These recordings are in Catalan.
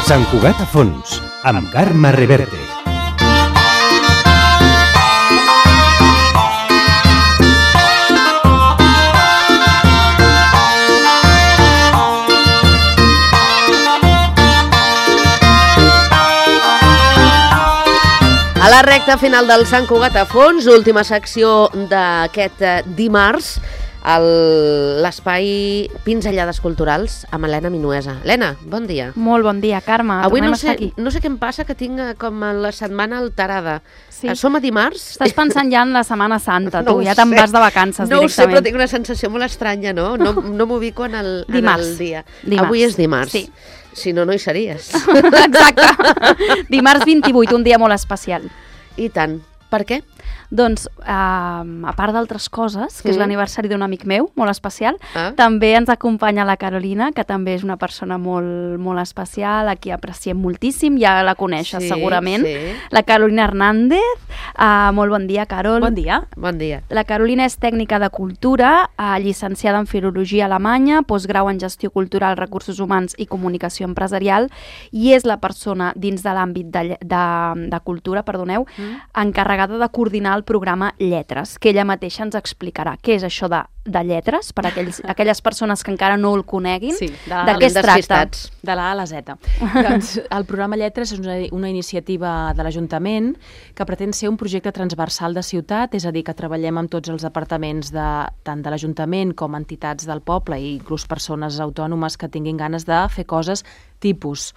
Sant Cugat a fons, amb Carme Reverte. A la recta final del Sant Cugat a fons, última secció d'aquest dimarts, l'espai Pinzellades Culturals amb Helena Minuesa. Helena, bon dia. Molt bon dia, Carme. Avui tornem no a estar sé, aquí. no sé què em passa, que tinc com la setmana alterada. Sí. Som a dimarts? Estàs pensant ja en la Setmana Santa, No tu, ho ja te'n sé. vas de vacances No ho sé, però directament. tinc una sensació molt estranya, no? No m'ubico en el dia. Dimarts. Avui és dimarts. Sí. Si no, no hi series. Exacte. Dimarts 28, un dia molt especial. I tant. Per què? Doncs, a part d'altres coses, que és l'aniversari d'un amic meu, molt especial, també ens acompanya la Carolina, que també és una persona molt, molt especial, a qui apreciem moltíssim, ja la coneixes segurament. Sí. La Carolina Hernández. Molt bon dia, Carol. Bon dia. Bon dia. La Carolina és tècnica de cultura, llicenciada en filologia alemanya, postgrau en gestió cultural, recursos humans i comunicació empresarial, i és la persona dins de l'àmbit de cultura, encarregada de coordinar el programa Lletres, que ella mateixa ens explicarà què és això de lletres, per aquelles persones que encara no el coneguin. Sí, de què es tracta? De la A a la Z. Doncs el programa Lletres és una iniciativa de l'Ajuntament que pretén ser un projecte transversal de ciutat, és a dir, que treballem amb tots els departaments tant de l'Ajuntament com entitats del poble i inclús persones autònomes que tinguin ganes de fer coses tipus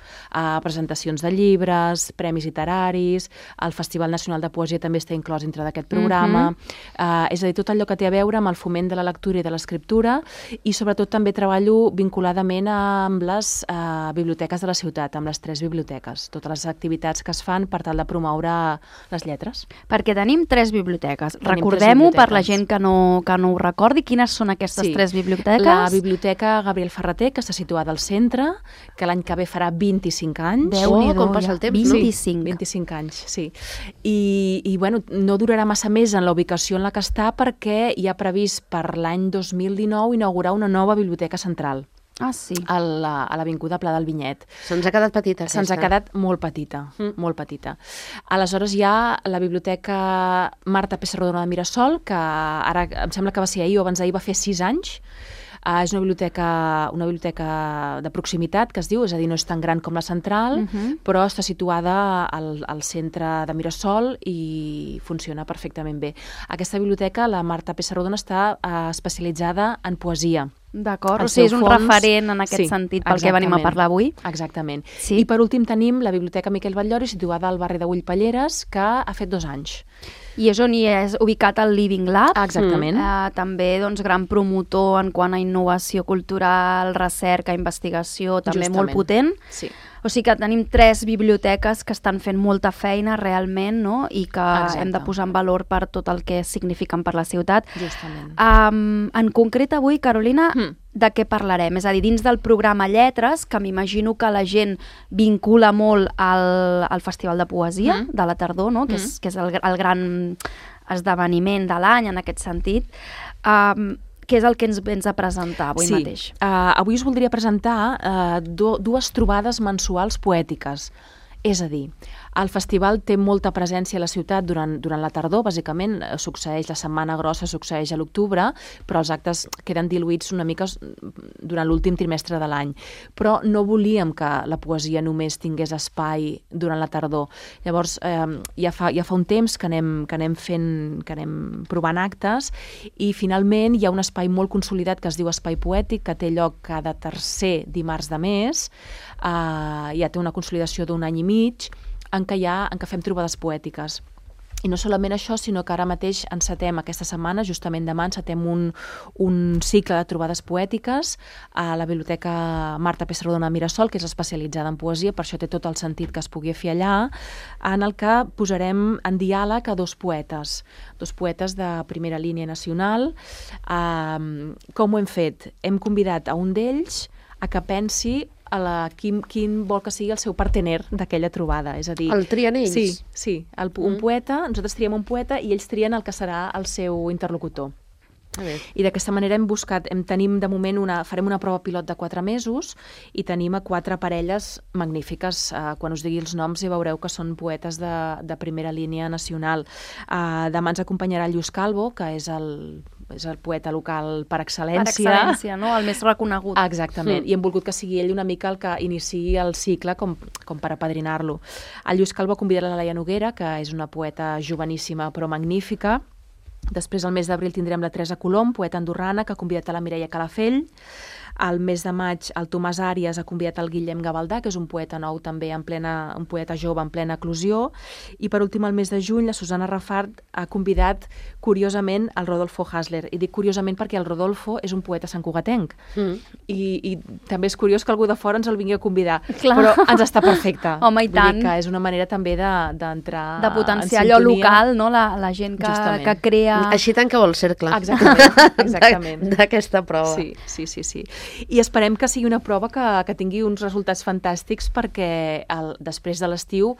presentacions de llibres, premis literaris, el Festival Nacional de Poesia també està inclòs dintre d'aquest programa, és a dir, tot allò que té a veure amb el foment de la lectura i de l'escriptura, i sobretot també treballo vinculadament amb les biblioteques de la ciutat, amb les 3 biblioteques, totes les activitats que es fan per tal de promoure les lletres. Perquè tenim 3 biblioteques. Recordem-ho per la gent que no ho recordi. Quines són aquestes 3 biblioteques? La Biblioteca Gabriel Ferrater, que està situada al centre, que l'any que ve farà 25 anys. Déu-n'hi-do, com passa el temps, 25. no? 25 anys, sí. I bueno, no durarà massa més en la ubicació en la que està, perquè hi ha previst per l'any 2019 inaugurar una nova biblioteca central. Ah, sí. A l'Avinguda Pla del Vinyet. Se'ns ha quedat petita, aquesta. Se'ns ha quedat molt petita, molt petita. Aleshores hi ha la Biblioteca Marta Pessarrodona de Mirasol, que ara em sembla que va ser ahir o abans d'ahir, va fer 6 anys. És una biblioteca de proximitat, que es diu, és a dir, no és tan gran com la central, però està situada al centre de Mirasol i funciona perfectament bé. Aquesta biblioteca, la Marta Pessarrodona, està especialitzada en poesia. D'acord, o sigui, és un referent en aquest sentit pel que venim a parlar avui. Exactament. I per últim tenim la Biblioteca Miquel Batllori, situada al barri de Ullpalleres, que ha fet 2 anys. I és on hi és ubicat el Living Lab. Exactament. També gran promotor en quant a innovació cultural, recerca, investigació, també molt potent. Sí. O sigui que tenim 3 biblioteques que estan fent molta feina realment, no? I que hem de posar en valor per tot el que signifiquen per la ciutat. Justament. En concret avui, Carolina, de què parlarem? És a dir, dins del programa Lletres, que m'imagino que la gent vincula molt al Festival de Poesia de la tardor, no? Que és el gran esdeveniment de l'any en aquest sentit. Què és el que ens vens a presentar avui mateix? Avui us voldria presentar 2 trobades mensuals poètiques. És a dir, el festival té molta presència a la ciutat durant la tardor, bàsicament succeeix la Setmana Grossa, succeeix a l'octubre, però els actes queden diluïts una mica durant l'últim trimestre de l'any. Però no volíem que la poesia només tingués espai durant la tardor. Llavors, ja fa un temps que anem provant actes, i finalment hi ha un espai molt consolidat que es diu Espai Poètic, que té lloc cada tercer dimarts de mes, ja té una consolidació d'un any i mig, en què fem trobades poètiques. I no solament això, sinó que ara mateix encetem aquesta setmana, justament demà encetem un cicle de trobades poètiques a la Biblioteca Marta Pessarrodona de Mirasol, que és especialitzada en poesia, per això té tot el sentit que es pugui fer allà, en el que posarem en diàleg a 2 poetes de primera línia nacional. Com ho hem fet? Hem convidat a un d'ells a que pensi quin vol que sigui el seu partener d'aquella trobada. És a dir, el trien ells? Sí. Un poeta, nosaltres triem un poeta i ells trien el que serà el seu interlocutor. I d'aquesta manera tenim de moment farem una prova pilot de 4 mesos i tenim a 4 parelles magnífiques. Quan us digui els noms ja veureu que són poetes de primera línia nacional. Demà ens acompanyarà el Lluís Calvo, que és el poeta local per excel·lència. Per excel·lència, no? El més reconegut. Exactament. I hem volgut que sigui ell una mica el que iniciï el cicle com per apadrinar-lo. El Lluís Calvo ha convidat la Laia Noguera, que és una poeta joveníssima però magnífica. Després, al mes d'abril, tindrem la Teresa Colom, poeta andorrana, que ha convidat a la Mireia Calafell. Al mes de maig, el Tomàs Àries ha convidat el Guillem Gavaldà, que és un poeta nou també, un poeta jove en plena eclosió. I per últim, al mes de juny, la Susana Rafart ha convidat, curiosament, el Rodolfo Hasler. I dic curiosament perquè el Rodolfo és un poeta santcugatenc. I també és curiós que algú de fora ens el vingui a convidar. Clar. Però ens està perfecte. Home, i tant. Vull dir que és una manera també d'entrar de potenciar allò local, no? La gent que crea... Així tanqueu el cercle. Exactament. D'aquesta prova. Sí. I esperem que sigui una prova que tingui uns resultats fantàstics perquè després de l'estiu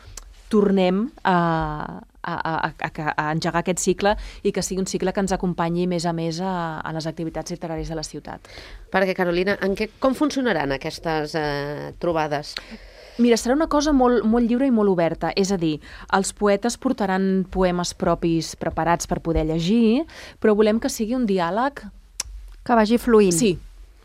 tornem a engegar aquest cicle i que sigui un cicle que ens acompanyi més a més a les activitats literàries de la ciutat. Perquè, Carolina, com funcionaran aquestes trobades? Mira, serà una cosa molt, molt lliure i molt oberta, és a dir, els poetes portaran poemes propis preparats per poder llegir, però volem que sigui un diàleg que vagi fluint. Sí.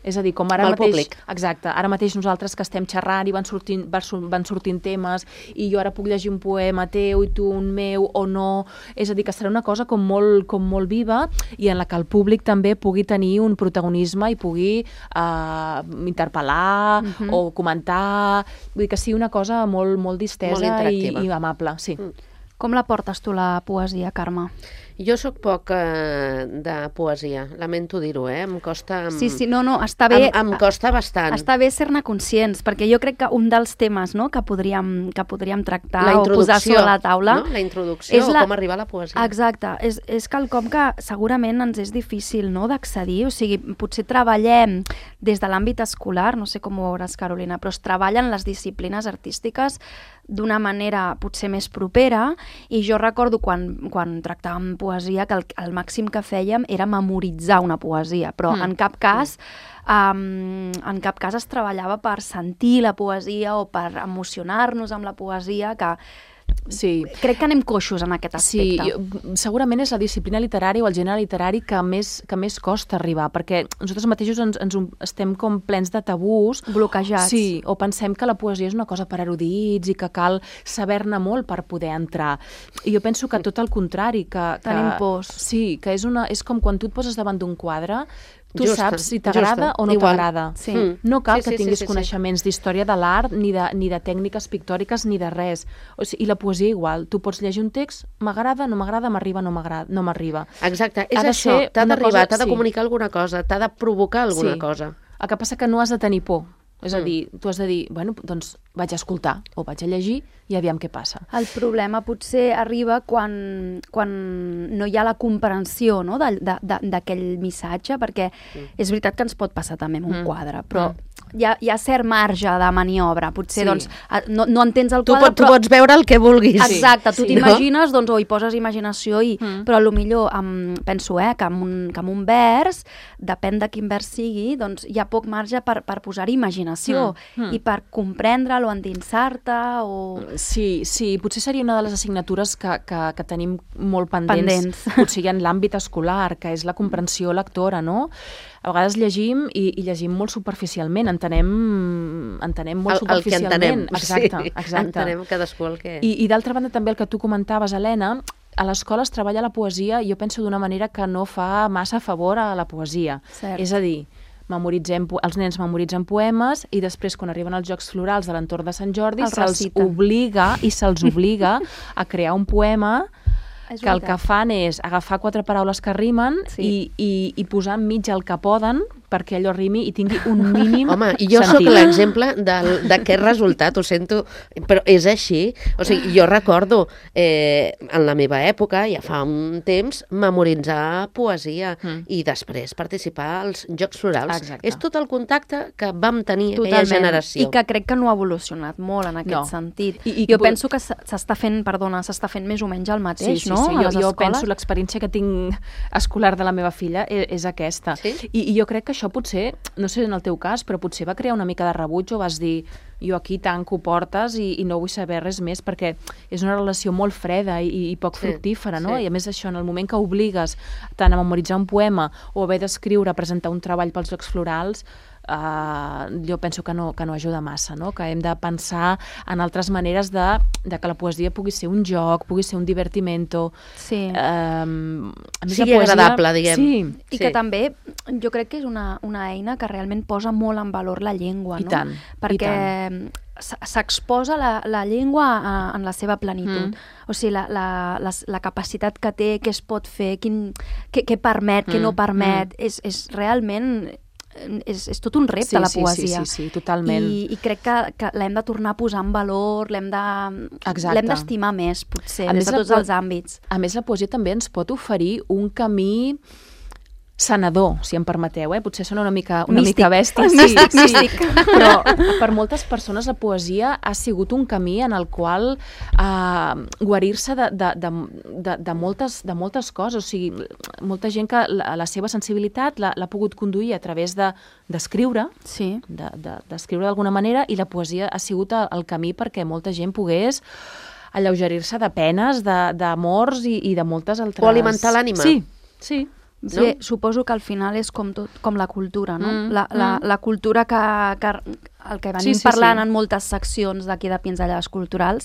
És a dir, com ara mateix... públic. Exacte. Ara mateix nosaltres que estem xerrant i van sortint temes i jo ara puc llegir un poema teu i tu un meu o no. És a dir, que serà una cosa com molt viva i en la que el públic també pugui tenir un protagonisme i pugui interpel·lar o comentar. Vull dir que sigui una cosa molt distesa i amable. Sí. Com la portes tu, la poesia, Carme? Jo sóc poc de poesia, lamento dir-ho, Em costa... Sí, no, està bé... Em costa bastant. Està bé ser-ne conscients, perquè jo crec que un dels temes, no, que podríem tractar o posar sobre la taula... No? La introducció, com arribar a la poesia. Exacte, és quelcom que segurament ens és difícil, no?, d'accedir, o sigui, potser treballem des de l'àmbit escolar, no sé com ho veuràs, Carolina, però es treballen les disciplines artístiques d'una manera potser més propera, i jo recordo quan tractàvem poesia que el màxim que fèiem era memoritzar una poesia, però en cap cas es treballava per sentir la poesia o per emocionar-nos amb la poesia, que sí. Crec que anem coixos en aquest aspecte. Sí, segurament és la disciplina literària o el gènere literari que més costa arribar, perquè nosaltres mateixos ens estem com plens de tabús. Bloquejats. Sí, o pensem que la poesia és una cosa per erudits i que cal saber-ne molt per poder entrar. I jo penso que tot el contrari, que tenim pors. Sí, que és com quan tu et poses davant d'un quadre, tu saps si t'agrada o no t'agrada. Sí. No cal que tinguis coneixements d'història de l'art, ni de tècniques pictòriques, ni de res. O sigui, i la poesia igual. Tu pots llegir un text, m'agrada, no m'agrada, m'arriba, no m'arriba. Exacte, és això. T'ha d'arribar, t'ha de comunicar alguna cosa, t'ha de provocar alguna cosa. El que passa que no has de tenir por. És a dir, tu has de dir, bueno, doncs vaig a escoltar o vaig a llegir i aviam què passa. El problema potser arriba quan no hi ha la comprensió, no?, d'aquell missatge, perquè és veritat que ens pot passar també amb un quadre, però hi ha cert marge de maniobra. Potser doncs, no entens el quadre, tu pots veure el que vulguis. Exacte, tu t'imagines, doncs, o hi poses imaginació, però potser penso que amb un vers, depèn de quin vers sigui, doncs hi ha poc marge per posar-hi imaginació i per comprendre'l o endinsar-te o... Sí, potser seria una de les assignatures que tenim molt pendents. Potser hi ha en l'àmbit escolar, que és la comprensió lectora, no? A vegades llegim i llegim molt superficialment, entenem molt superficialment. El que entenem, exacte. Entenem cadascú el que... I d'altra banda també el que tu comentaves, Helena, a l'escola es treballa la poesia, jo penso d'una manera que no fa massa favor a la poesia. Cert. És a dir, els nens memoritzen poemes i després, quan arriben als Jocs Florals de l'entorn de Sant Jordi, se'ls obliga a crear un poema que el que fan és agafar 4 paraules que rimen i posar enmig el que poden perquè allò rimi i tingui un mínim sentit. Home, i jo sóc l'exemple d'aquest resultat, ho sento, però és així. O sigui, jo recordo en la meva època, ja fa un temps, memoritzar poesia i després participar als Jocs Florals. Exacte. És tot el contacte que vam tenir aquella generació. I que crec que no ha evolucionat molt en aquest sentit. Jo penso que s'està fent més o menys el mateix, no? A les jo escoles. penso, l'experiència que tinc escolar de la meva filla és aquesta. Sí? I jo crec que això potser, no sé en el teu cas, però potser va crear una mica de rebuig o vas dir jo aquí tanco portes i no vull saber res més, perquè és una relació molt freda i poc fructífera, no? Sí. I a més això, en el moment que obligues tant a memoritzar un poema o haver d'escriure, presentar un treball pels Jocs Florals, jo penso que no ajuda massa, no? Que hem de pensar en altres maneres de que la poesia pugui ser un joc, pugui ser un divertimento. Sí. A més, Sigui agradable, diguem. Sí. I que també jo crec que és una eina que realment posa molt en valor la llengua, I no? tant, Perquè s'exposa la llengua en la seva plenitud. O sigui, la capacitat que té, què es pot fer, què permet, què no permet, és realment... És tot un repte, la poesia. Sí, totalment. I crec que l'hem de tornar a posar en valor, l'hem d'estimar més, potser, des de tots els àmbits. A més, la poesia també ens pot oferir un camí sanador, si em permeteu, potser sona una mica bèstia. Místic. Però per moltes persones la poesia ha sigut un camí en el qual guarir-se de moltes coses. O sigui, molta gent que la seva sensibilitat l'ha pogut conduir a través d'escriure, d'escriure d'alguna manera, i la poesia ha sigut el camí perquè molta gent pogués alleugerir-se de penes, d'amors i de moltes altres... O alimentar l'ànima. Sí. Sí, no? Suposo que al final és com la cultura, no? La cultura que el que venim parlant en moltes seccions d'aquí de Pinzellades Culturals,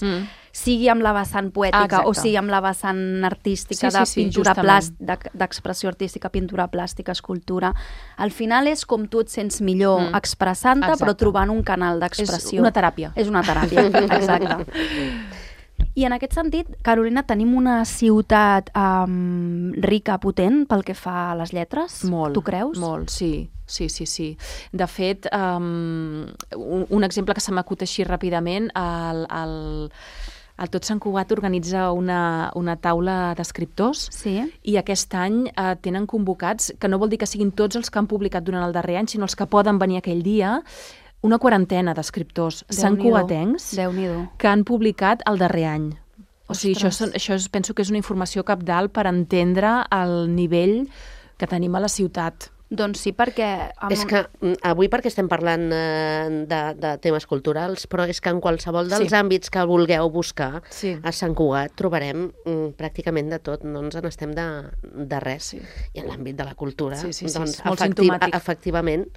sigui amb la vessant poètica o sigui amb la vessant artística de pintura d'expressió artística, pintura plàstica, escultura. Al final és com tu et sents millor expressant-te, però trobant un canal d'expressió. És una teràpia. És una teràpia, exacte. I en aquest sentit, Carolina, tenim una ciutat rica, potent, pel que fa a les lletres? Molt. Tu creus? Molt, sí. De fet, un exemple que se m'acut així ràpidament, el Tot Sant Cugat organitza una taula d'escriptors i aquest any tenen convocats, que no vol dir que siguin tots els que han publicat durant el darrer any, sinó els que poden venir aquell dia, una quarantena d'escriptors santcugatencs que han publicat el darrer any. O sigui, això penso que és una informació cabdal per entendre el nivell que tenim a la ciutat. Doncs sí, perquè... És que avui perquè estem parlant de temes culturals, però és que en qualsevol dels àmbits que vulgueu buscar a Sant Cugat trobarem pràcticament de tot, no ens n'estem de res. I en l'àmbit de la cultura, doncs efectivament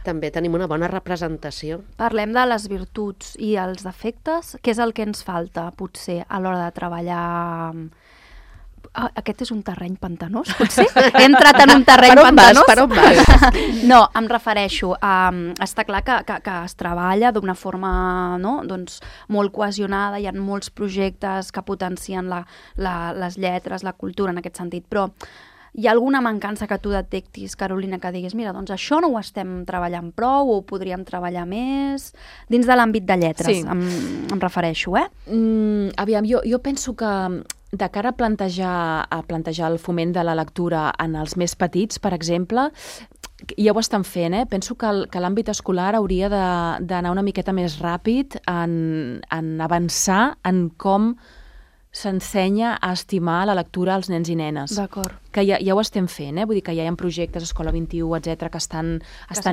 també tenim una bona representació. Parlem de les virtuts i els defectes. Què és el que ens falta, potser, a l'hora de treballar... Aquest és un terreny pantanós, potser? He entrat en un terreny pantanós? Per on vas? No, em refereixo a... Està clar que es treballa d'una forma molt cohesionada, hi ha molts projectes que potencien les lletres, la cultura en aquest sentit, però hi ha alguna mancança que tu detectis, Carolina, que diguis, mira, doncs això no ho estem treballant prou o ho podríem treballar més dins de l'àmbit de lletres, em refereixo, Aviam, jo penso que de cara a plantejar el foment de la lectura en els més petits, per exemple, ja ho estan fent, penso que l'àmbit escolar hauria d'anar una miqueta més ràpid en avançar en com s'ensenya a estimar la lectura als nens i nenes. D'acord. Que ja ho estem fent, vull dir que ja hi ha projectes, Escola 21, etc que estan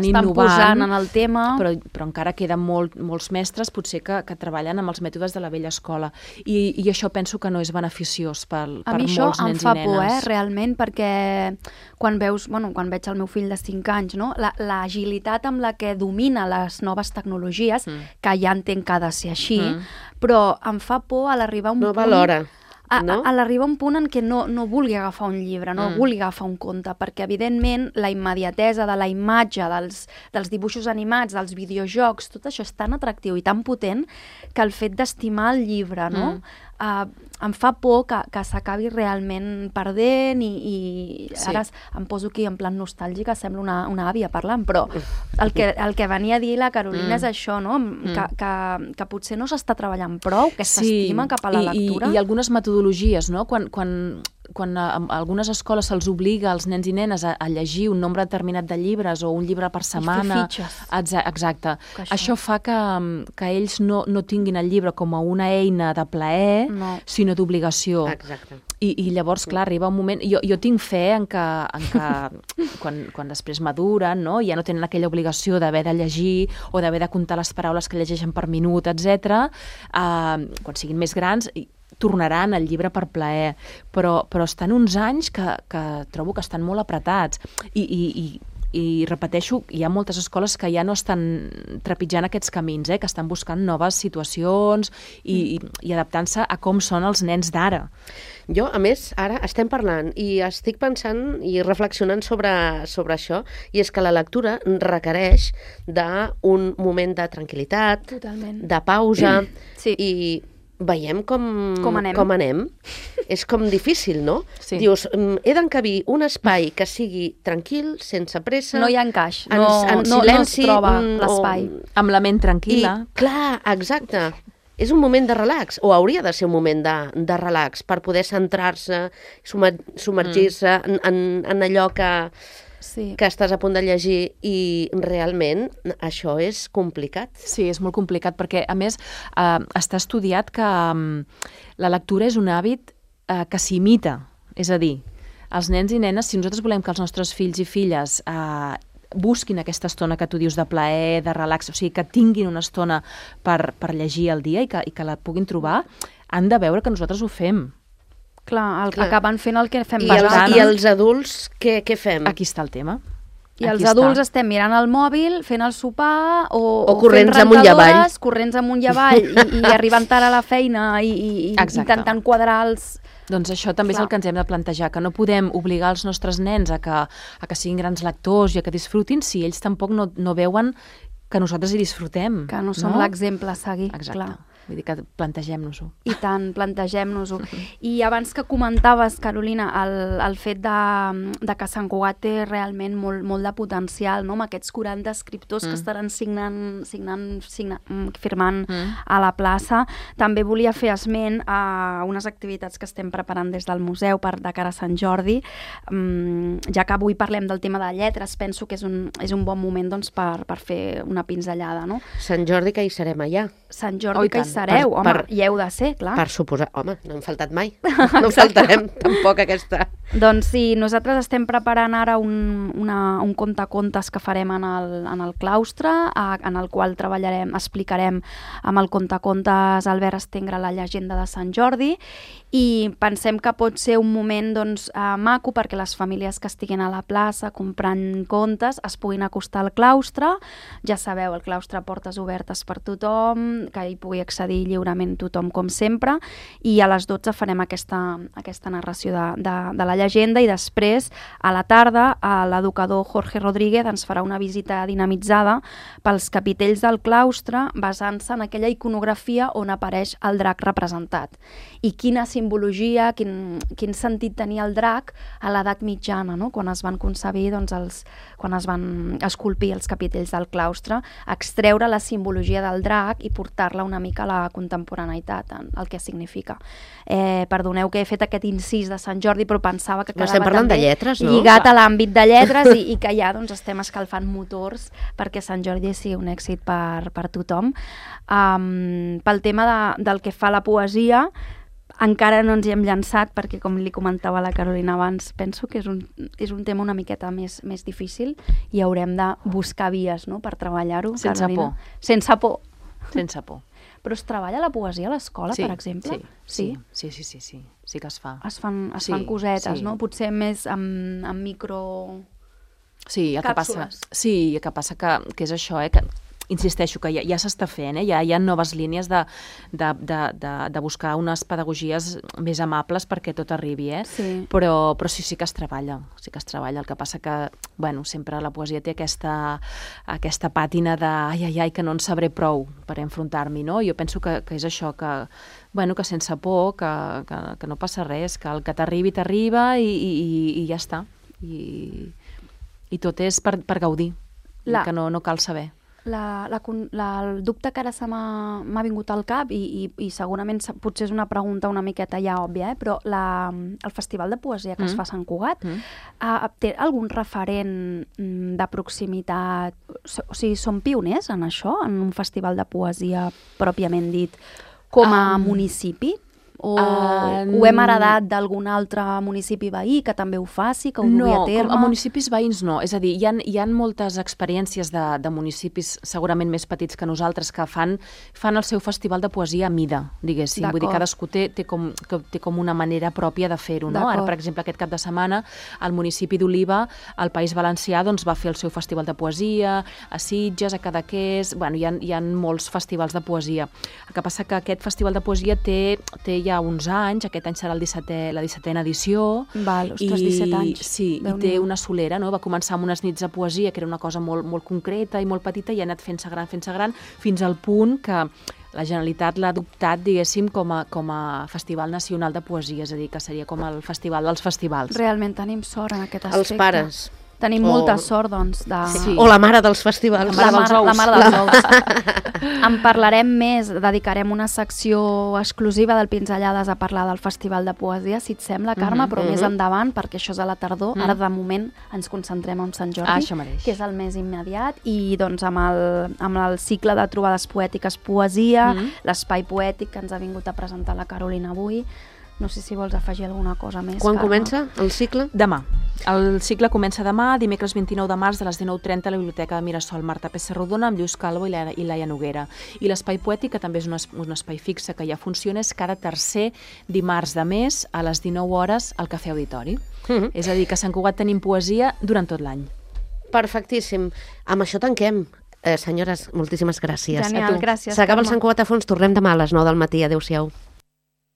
innovant, posant en el tema. Però encara queden molts mestres, potser que treballen amb els mètodes de la vella escola. I això penso que no és beneficiós per molts nens i nenes. A mi això em fa por, realment, perquè quan veig el meu fill de 5 anys, no? L'agilitat amb la que domina les noves tecnologies, que ja entenc que ha de ser així, però em fa por a l'arribar a un punt... No valora. A l'arribar a un punt en què no vulgui agafar un llibre, no vulgui agafar un conte, perquè evidentment la immediatesa de la imatge, dels dibuixos animats, dels videojocs, tot això és tan atractiu i tan potent que el fet d'estimar el llibre, no? Em fa por que s'acabi realment perdent i ara em poso aquí en plan nostàlgica, sembla una àvia parlant, però el que venia a dir la Carolina és això, no? Que potser no s'està treballant prou, que s'estima cap a la lectura. I algunes metodologies, no? Quan a algunes escoles se'ls obliga als nens i nenes a llegir un nombre determinat de llibres o un llibre per setmana... I fer fitxes. Exacte. Això fa que ells no tinguin el llibre com a una eina de plaer, sinó d'obligació. Exacte. I llavors, clar, arriba un moment... Jo tinc fe en que quan després maduren, no? Ja no tenen aquella obligació d'haver de llegir o d'haver de comptar les paraules que llegeixen per minut, etc. Quan siguin més grans, tornaran al llibre per plaer. Però estan uns anys que trobo que estan molt apretats. I repeteixo, hi ha moltes escoles que ja no estan trepitjant aquests camins, que estan buscant noves situacions i adaptant-se a com són els nens d'ara. Jo, a més, ara estem parlant i estic pensant i reflexionant sobre això, i és que la lectura requereix d'un moment de tranquil·litat, totalment, de pausa, sí. I veiem com anem. És com difícil, no? Sí. Dius, he d'encabir un espai que sigui tranquil, sense pressa... No hi ha encaix, en silenci, no es troba l'espai. Amb la ment tranquil·la. I, clar, exacte. És un moment de relax, o hauria de ser un moment de relax, per poder centrar-se, submergir-se en allò que estàs a punt de llegir, i realment això és complicat. Sí, és molt complicat, perquè a més està estudiat que la lectura és un hàbit que s'imita, és a dir, els nens i nenes, si nosaltres volem que els nostres fills i filles busquin aquesta estona que tu dius de plaer, de relax, o sigui, que tinguin una estona per llegir al dia i que la puguin trobar, han de veure que nosaltres ho fem. Clar, acaben fent el que fem bastant. I els adults, què fem? Aquí està el tema. I els adults estem mirant el mòbil, fent el sopar, o corrents amunt i avall. Corrents amunt i avall, i arribant tard a la feina, i intentant quadrar els... Doncs això també és el que ens hem de plantejar, que no podem obligar els nostres nens a que siguin grans lectors i a que disfrutin si ells tampoc no veuen que nosaltres hi disfrutem. Que no som l'exemple a seguir. Exacte. Clar. Vull dir que plantegem-nos-ho. I tant, plantegem-nos-ho. I abans que comentaves, Carolina, el fet de que Sant Cugat té realment molt de potencial, no? Amb aquests 40 escriptors que estaran firmant a la plaça, també volia fer esment a unes activitats que estem preparant des del museu de cara a Sant Jordi. Ja que avui parlem del tema de lletres, penso que és un bon moment per fer una pinzellada, no? Sant Jordi, que hi serem allà. Sant Jordi, que hi sereu, hi heu de ser, clar. Per suposar, home, no hem faltat mai. No faltarem tampoc aquesta. Doncs sí, nosaltres estem preparant ara un contacontes que farem en el claustre, en el qual explicarem amb el contacontes Albert Estengre la llegenda de Sant Jordi, i pensem que pot ser un moment maco perquè les famílies que estiguin a la plaça comprant contes es puguin acostar al claustre. Ja sabeu, el claustre portes obertes per tothom, que hi pugui accedir lliurement tothom com sempre, i a les 12 farem aquesta narració de la llegenda, i després a la tarda l'educador Jorge Rodríguez ens farà una visita dinamitzada pels capitells del claustre basant-se en aquella iconografia on apareix el drac representat. I quina simbologia, quin sentit tenia el drac a l'edat mitjana, no? Quan es van concebir, quan es van esculpir els capitells del claustre, extreure la simbologia del drac i portar-la una mica a la contemporaneïtat, el que significa. Perdoneu que he fet aquest incís de Sant Jordi, però pensava que quedava també lligat a l'àmbit de lletres i que ja estem escalfant motors perquè Sant Jordi sigui un èxit per tothom. Pel tema del que fa la poesia, encara no ens hi hem llançat perquè, com li comentava la Carolina abans, penso que és un tema una miqueta més difícil i haurem de buscar vies, no?, per treballar-ho. Sense por. Sense por. Sense por. Però es treballa la poesia a l'escola, per exemple? Sí que es fa. Es fan cosetes, no? Potser més amb micro... Sí, el càpsules. Que passa que és això, que insisteixo que ja s'està fent, ja hi ha noves línies de buscar unes pedagogies més amables perquè tot arribi, Sí. Però sí que es treballa, El que passa que, sempre la poesia té aquesta pàtina de ai, que no en sabré prou per enfrontar-m'hi, no? Jo penso que és això, que sense por, que no passa res, que el que t'arriba i ja està. I tot és per gaudir, que no cal saber. El dubte que ara m'ha vingut al cap i segurament potser és una pregunta una miqueta ja òbvia, però el Festival de Poesia que es fa a Sant Cugat té algun referent de proximitat? O sigui, són pioners en això, en un festival de poesia pròpiament dit, com a municipi? O ho hem heredat d'algun altre municipi veí que també ho faci, que ho dugui a terme? No, a municipis veïns no. És a dir, hi ha moltes experiències de municipis segurament més petits que nosaltres que fan el seu festival de poesia a mida, diguéssim. Vull dir, cadascú té com una manera pròpia de fer-ho, no? Ara, per exemple, aquest cap de setmana, al municipi d'Oliva, al País Valencià, doncs va fer el seu festival de poesia, a Sitges, a Cadaqués... Bueno, hi ha molts festivals de poesia. El que passa que aquest festival de poesia té ja uns anys, aquest any serà la 17a edició. Ostres, 17 anys. Sí, i té una solera, no? Va començar amb unes nits de poesia, que era una cosa molt, molt concreta i molt petita, i ha anat fent-se gran, fins al punt que la Generalitat l'ha adoptat, diguéssim, com a Festival Nacional de Poesia, és a dir, que seria com el festival dels festivals. Realment tenim sort en aquest aspecte. Els pares. Tenim molta sort, doncs, de... Sí. O la mare dels festivals. La mare dels ous. En parlarem més, dedicarem una secció exclusiva del Pinzellades a parlar del Festival de Poesia, si et sembla, Carme, però més endavant, perquè això és a la tardor. Ara, de moment, ens concentrem en Sant Jordi, que és el més immediat, i doncs amb el cicle de trobades poètiques Poesia, l'espai poètic que ens ha vingut a presentar la Carolina avui. No sé si vols afegir alguna cosa més, Quan Carme. comença el cicle? Demà. El cicle comença demà, dimecres 29 de març, de les 19:30 a la Biblioteca de Mirasol Marta Pessarrodona, amb Lluís Calvo i Laia Noguera. I l'espai poètic, que també és un espai fixe que ja funciona, és cada tercer dimarts de mes a les 19 hores al Cafè Auditori. És a dir, que a Sant Cugat tenim poesia durant tot l'any. Perfectíssim. Amb això tanquem. Senyores, moltíssimes gràcies. Genial, gràcies. S'acaba el Sant Cugat a fons, tornem demà a les 9 del matí. Adéu-siau.